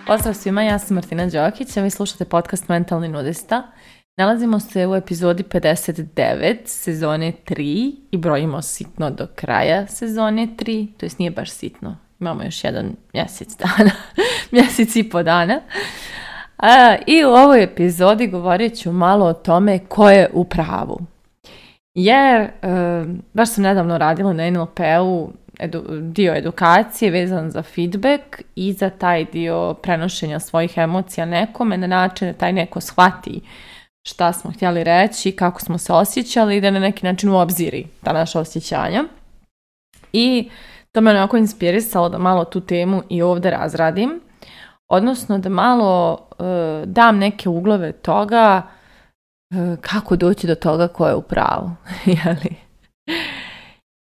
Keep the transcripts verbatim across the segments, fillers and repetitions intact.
Pozdrav svima, ja sam Martina Đokić, a vi slušate podcast Mentalni nudista. Nalazimo se u epizodi pedeset devet sezone tri i brojimo sitno do kraja sezone tri, to jest nije baš sitno, imamo još jedan mjesec dana, mjesec i po dana. A, I u ovoj epizodi govorit ću malo o tome ko je u pravu. Jer, e, baš sam nedavno radila na N L P-u edu, dio edukacije vezan za feedback i za taj dio prenošenja svojih emocija nekome na način da taj neko shvati šta smo htjeli reći, kako smo se osjećali i da na neki način uobziri ta naša osjećanja. I to me onako inspirisalo da malo tu temu i ovdje razradim, odnosno da malo uh, dam neke uglove toga uh, kako doći do toga ko je u pravu.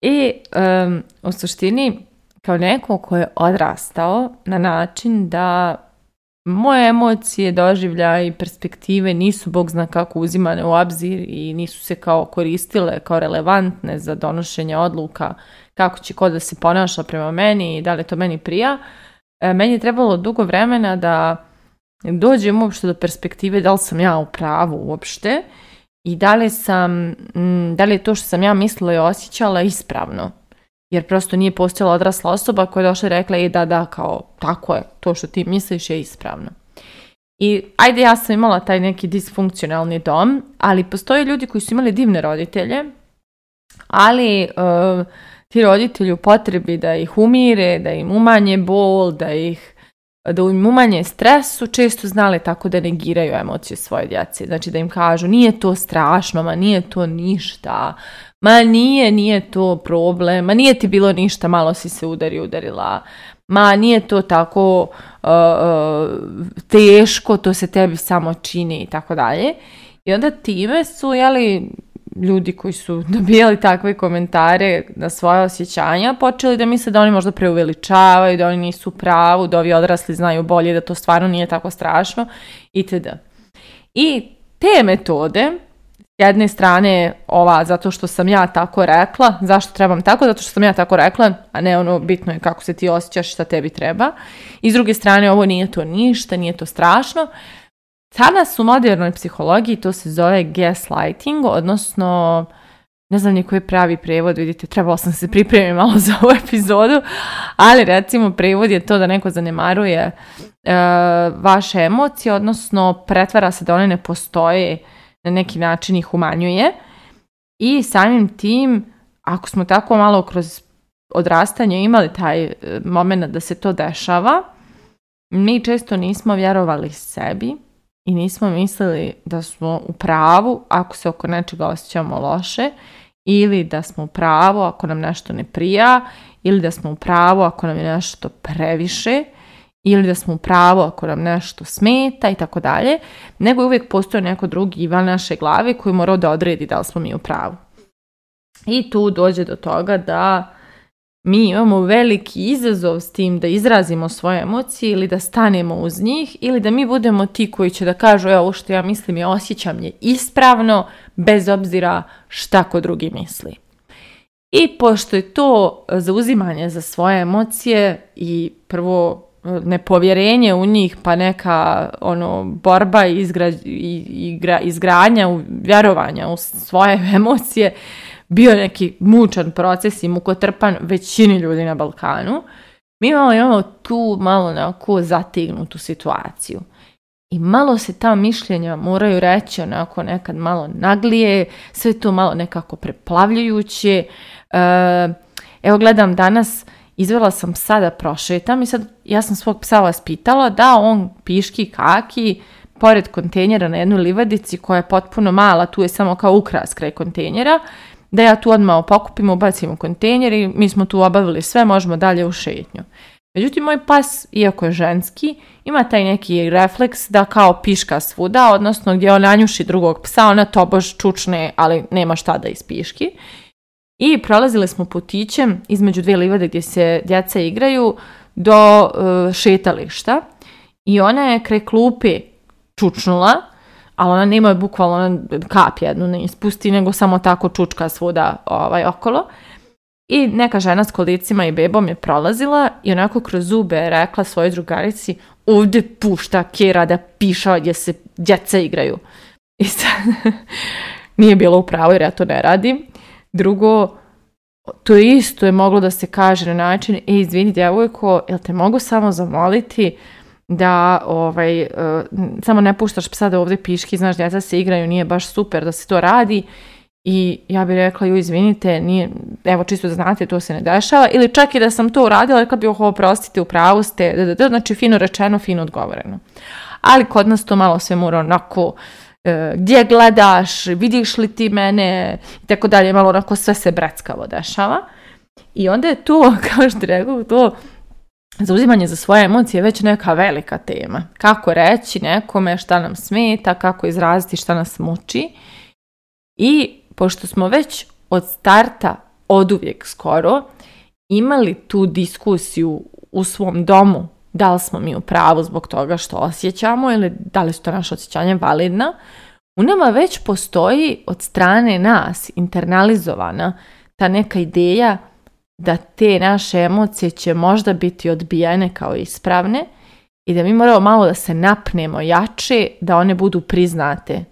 I um, u suštini kao neko ko je odrastao na način da moje emocije, doživljaje i perspektive nisu bog zna kako uzimane u obzir i nisu se kao koristile kao relevantne za donošenje odluka kako će ko da se ponaša prema meni i da li to meni prija. E, meni je trebalo dugo vremena da dođem uopšte do perspektive da li sam ja u pravu uopšte i da li, sam, da li je to što sam ja mislila i osjećala ispravno. Jer prosto nije postojala odrasla osoba koja je došla i rekla i da, da, kao tako je, to što ti misliš je ispravno. I ajde, ja sam imala taj neki disfunkcionalni dom, ali postoje ljudi koji su imali divne roditelje, ali uh, ti roditelji u potrebi da ih umire, da im umanje bol, da ih da im umanje stres su često znali tako da negiraju emocije svoje djece. Znači da im kažu nije to strašno, ma nije to ništa, ma nije, nije to problem, ma nije ti bilo ništa, malo si se udari, udarila, ma nije to tako uh, uh, teško, to se tebi samo čini i tako dalje. I onda time su, jeli, ljudi koji su dobijali takve komentare na svoje osjećanja počeli da misle da oni možda preuveličavaju, da oni nisu u pravu, da ovi odrasli znaju bolje, da to stvarno nije tako strašno itd. I te metode, s jedne strane ova zato što sam ja tako rekla, zašto trebam tako? Zato što sam ja tako rekla, a ne ono bitno je kako se ti osjećaš, šta tebi treba. I s druge strane ovo nije to ništa, nije to strašno. Danas u modernoj psihologiji to se zove gaslighting, odnosno, ne znam ni koji je pravi prevod, vidite, trebala sam se pripremiti malo za ovu epizodu, ali recimo prevod je to da neko zanemaruje e, vaše emocije, odnosno pretvara se da one ne postoje, na neki način ih umanjuje i samim tim, ako smo tako malo kroz odrastanje imali taj moment da se to dešava, mi često nismo vjerovali sebi i nismo mislili da smo u pravu ako se oko nečega osjećamo loše ili da smo u pravu ako nam nešto ne prija ili da smo u pravu ako nam je nešto previše ili da smo u pravu ako nam nešto smeta i tako dalje, nego uvijek postoji neko drugi izvan naše glave koji mora da odredi da li smo mi u pravu. I tu dođe do toga da mi imamo veliki izazov s tim da izrazimo svoje emocije ili da stanemo uz njih ili da mi budemo ti koji će da kažu evo što ja mislim i osjećam je ispravno bez obzira šta ko drugi misli. I pošto je to zauzimanje za svoje emocije i prvo nepovjerenje u njih pa neka ono borba i izgra, igra, izgradnja vjerovanja u svoje emocije bio neki mučan proces i mukotrpan većini ljudi na Balkanu, mi imamo, imamo tu malo onako zategnutu situaciju. I malo se ta mišljenja moraju reći onako nekad malo naglije, sve to malo nekako preplavljujuće. E, evo gledam danas, izvela sam psa da prošetam i sad ja sam svog psa vas pitala da on piški kaki pored kontejnera na jednoj livadici koja je potpuno mala, tu je samo kao ukras kraj kontejnera, da ja tu odmah pokupim, ubacim u kontejner i mi smo tu obavili sve, možemo dalje u šetnju. Međutim, moj pas, iako je ženski, ima taj neki refleks da kao piška svuda, odnosno gdje on nanjuši drugog psa, ona tobož čučne, ali nema šta da ispiški. I prolazili smo putićem između dvije livade gdje se djeca igraju do uh, šetališta i ona je kraj klupe čučnula, ali ona nema bukvalno ona kap jednu ne ispusti, nego samo tako čučka svuda ovaj, okolo. I neka žena s kolicima i bebom je prolazila i onako kroz zube je rekla svojoj drugarici, ovdje pušta kera da piša gdje se djeca igraju. I sad nije bilo u pravu jer ja to ne radim. Drugo, to isto je moglo da se kaže na način, e, izvini djevojko, jel te mogu samo zamoliti da ovaj, uh, samo ne puštaš psa da ovdje piški, znaš, djeca se igraju, nije baš super da se to radi. I ja bih rekla, ju izvinite, nije, evo čisto da znate, to se ne dešava. Ili čak i da sam to uradila, rekla bih, ovo prostite, u pravu ste, da, da, da, znači fino rečeno, fino odgovoreno. Ali kod nas to malo sve mora onako, e, gdje gledaš, vidiš li ti mene, i tako dalje, malo onako sve se breckavo dešava. I onda je to, kao što rekao, to zauzimanje za svoje emocije već neka velika tema. Kako reći nekome šta nam smeta, kako izraziti šta nas muči. I pošto smo već od starta, oduvijek skoro, imali tu diskusiju u svom domu, da li smo mi u pravu zbog toga što osjećamo ili da li su to naše osjećanja validna, u nama već postoji od strane nas internalizovana ta neka ideja da te naše emocije će možda biti odbijene kao ispravne i da mi moramo malo da se napnemo jače da one budu priznate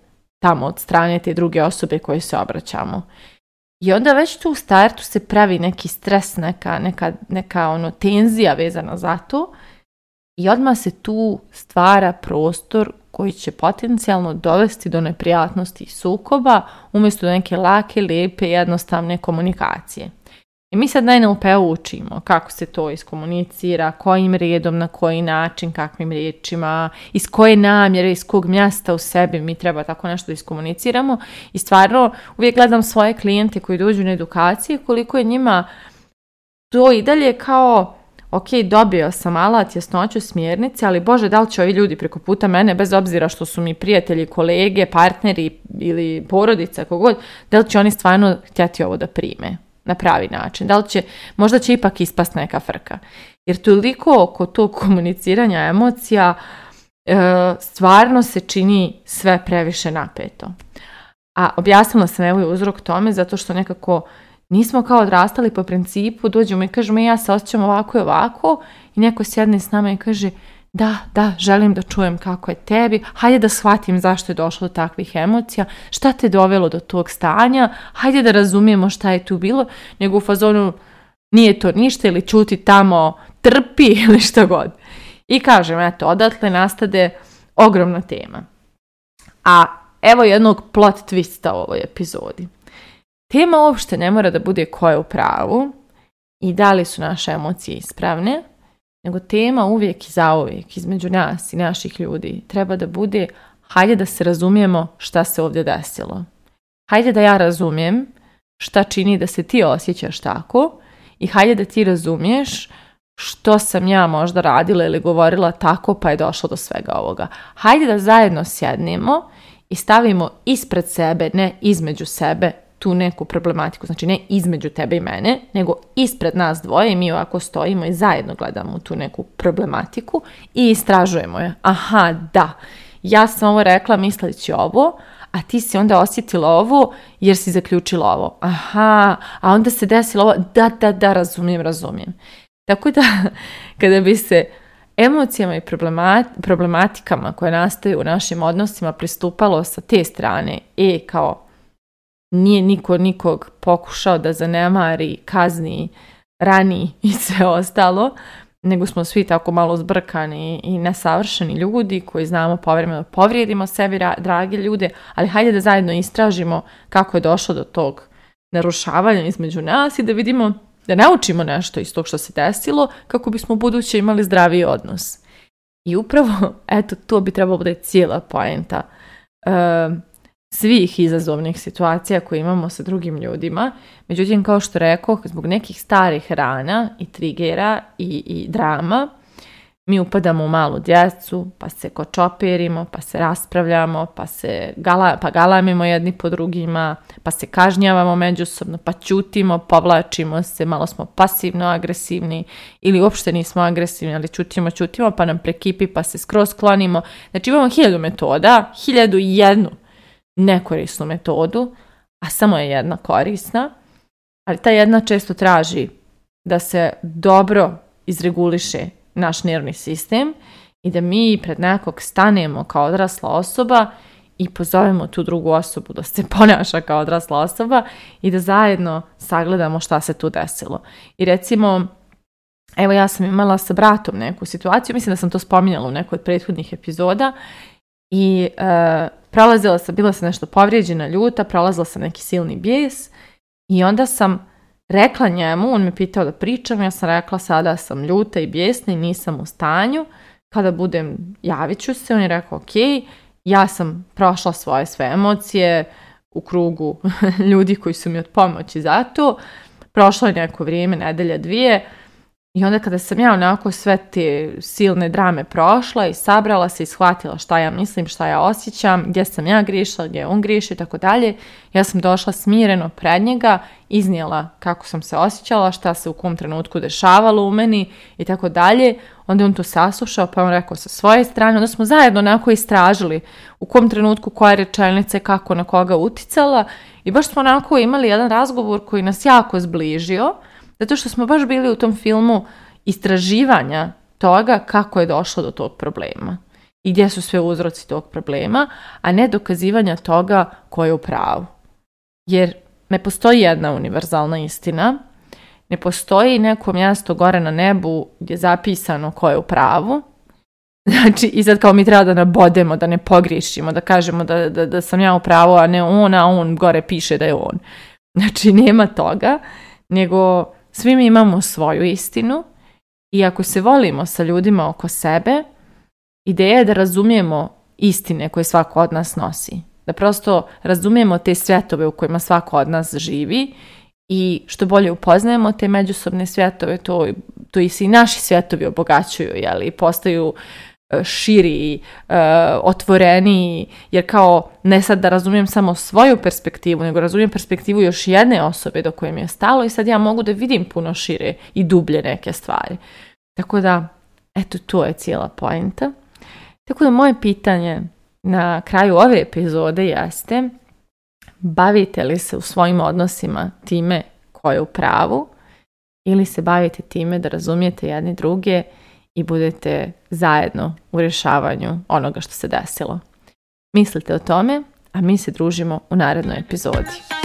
tamo od strane te druge osobe koje se obraćamo. I onda već tu u startu se pravi neki stres, neka, neka, neka ono, tenzija vezana za to i odmah se tu stvara prostor koji će potencijalno dovesti do neprijatnosti i sukoba umjesto do neke lake, lijepe, jednostavne komunikacije. I mi sad na N L P-u učimo kako se to iskomunicira, kojim redom, na koji način, kakvim riječima, iz koje namjere, iz kog mjesta u sebi mi treba tako nešto da iskomuniciramo. I stvarno uvijek gledam svoje klijente koji dođu na edukacije, koliko je njima to i dalje kao, ok, dobio sam alat, jasnoću, smjernice, ali Bože, da li će ovi ljudi preko puta mene, bez obzira što su mi prijatelji, kolege, partneri ili porodica, kogod, da li će oni stvarno htjeti ovo da prime na pravi način, da li će, možda će ipak ispast neka frka. Jer toliko oko tog komuniciranja emocija e, stvarno se čini sve previše napeto. A objasnila sam evo i uzrok tome zato što nekako nismo kao odrastali po principu, dođemo i kažemo ja se osjećam ovako i ovako i neko sjedne s nama i kaže da, da, želim da čujem kako je tebi, hajde da shvatim zašto je došlo do takvih emocija, šta te dovelo do tog stanja, hajde da razumijemo šta je tu bilo, nego u fazonu nije to ništa ili čuti tamo, trpi ili šta god. I kažem, eto, odatle nastade ogromna tema. A evo jednog plot twista u ovoj epizodi. Tema uopšte ne mora da bude ko je u pravu i da li su naše emocije ispravne, nego tema uvijek i zauvijek između nas i naših ljudi treba da bude hajde da se razumijemo šta se ovdje desilo. Hajde da ja razumijem šta čini da se ti osjećaš tako i hajde da ti razumiješ što sam ja možda radila ili govorila tako pa je došlo do svega ovoga. Hajde da zajedno sjednemo i stavimo ispred sebe, ne između sebe, tu neku problematiku, znači ne između tebe i mene, nego ispred nas dvoje i mi ovako stojimo i zajedno gledamo tu neku problematiku i istražujemo je. Aha, da, ja sam ovo rekla misleći ovo, a ti si onda osjetila ovo jer si zaključila ovo. Aha, a onda se desilo ovo, da, da, da, razumijem, razumijem. Tako da, kada bi se emocijama i problematikama koje nastaju u našim odnosima pristupalo sa te strane, e, kao nije niko nikog pokušao da zanemari, kazni, rani i sve ostalo, nego smo svi tako malo zbrkani i nesavršeni ljudi koji znamo povremeno da povrijedimo sebi, drage ljude, ali hajde da zajedno istražimo kako je došlo do tog narušavanja između nas i da vidimo, da naučimo nešto iz tog što se desilo kako bismo u buduće imali zdraviji odnos. I upravo, eto, to bi trebalo bude cijela poenta uh, svih izazovnih situacija koje imamo sa drugim ljudima. Međutim, kao što rekoh, zbog nekih starih rana i trigera i, i drama, mi upadamo u malu djecu, pa se kočopirimo, pa se raspravljamo, pa se gala, pa galamimo jedni po drugima, pa se kažnjavamo međusobno, pa ćutimo, povlačimo se, malo smo pasivno agresivni ili uopšte nismo agresivni, ali ćutimo, ćutimo, pa nam prekipi, pa se skroz klonimo. Znači imamo hiljadu metoda, hiljadu i jednu nekorisnu metodu, a samo je jedna korisna, ali ta jedna često traži da se dobro izreguliše naš nervni sistem i da mi pred nekog stanemo kao odrasla osoba i pozovemo tu drugu osobu da se ponaša kao odrasla osoba i da zajedno sagledamo šta se tu desilo. I recimo, evo ja sam imala sa bratom neku situaciju, mislim da sam to spominjala u nekoj od prethodnih epizoda i e, prolazila sam, bila sam nešto povrijeđena, ljuta, prolazila sam neki silni bijes i onda sam rekla njemu, on me pitao da pričam, ja sam rekla sada sam ljuta i bijesna i nisam u stanju, kada budem javit ću se, on je rekao ok, ja sam prošla svoje sve emocije u krugu ljudi koji su mi od pomoći za to, prošlo je neko vrijeme, nedelja, dvije, i onda kada sam ja onako sve te silne drame prošla i sabrala se i shvatila šta ja mislim, šta ja osjećam, gdje sam ja grišla, gdje on griši i tako dalje, ja sam došla smireno pred njega, iznijela kako sam se osjećala, šta se u kom trenutku dešavalo u meni i tako dalje. Onda on to saslušao, pa on rekao sa svoje strane, onda smo zajedno onako istražili u kom trenutku koja rečenica kako na koga uticala i baš smo onako imali jedan razgovor koji nas jako zbližio, zato što smo baš bili u tom filmu istraživanja toga kako je došlo do tog problema i gdje su sve uzroci tog problema, a ne dokazivanja toga ko je u pravu. Jer ne postoji jedna univerzalna istina, ne postoji neko mjesto gore na nebu gdje je zapisano ko je u pravu. Znači, i sad kao mi treba da nabodemo, da ne pogriješimo, da kažemo da, da, da sam ja u pravu, a ne on, a on gore piše da je on. Znači, nema toga, nego svi mi imamo svoju istinu i ako se volimo sa ljudima oko sebe, ideja je da razumijemo istine koje svako od nas nosi. Da prosto razumijemo te svjetove u kojima svako od nas živi i što bolje upoznajemo te međusobne svjetove, to, to i se i naši svjetovi obogaćuju, jeli, postaju širi, uh, otvoreniji, jer kao ne sad da razumijem samo svoju perspektivu, nego razumijem perspektivu još jedne osobe do koje mi je stalo i sad ja mogu da vidim puno šire i dublje neke stvari. Tako da, eto, to je cijela poenta. Tako da moje pitanje na kraju ove epizode jeste: bavite li se u svojim odnosima time ko je u pravu ili se bavite time da razumijete jedni druge i budete zajedno u rješavanju onoga što se desilo? Mislite o tome, a mi se družimo u narednoj epizodi.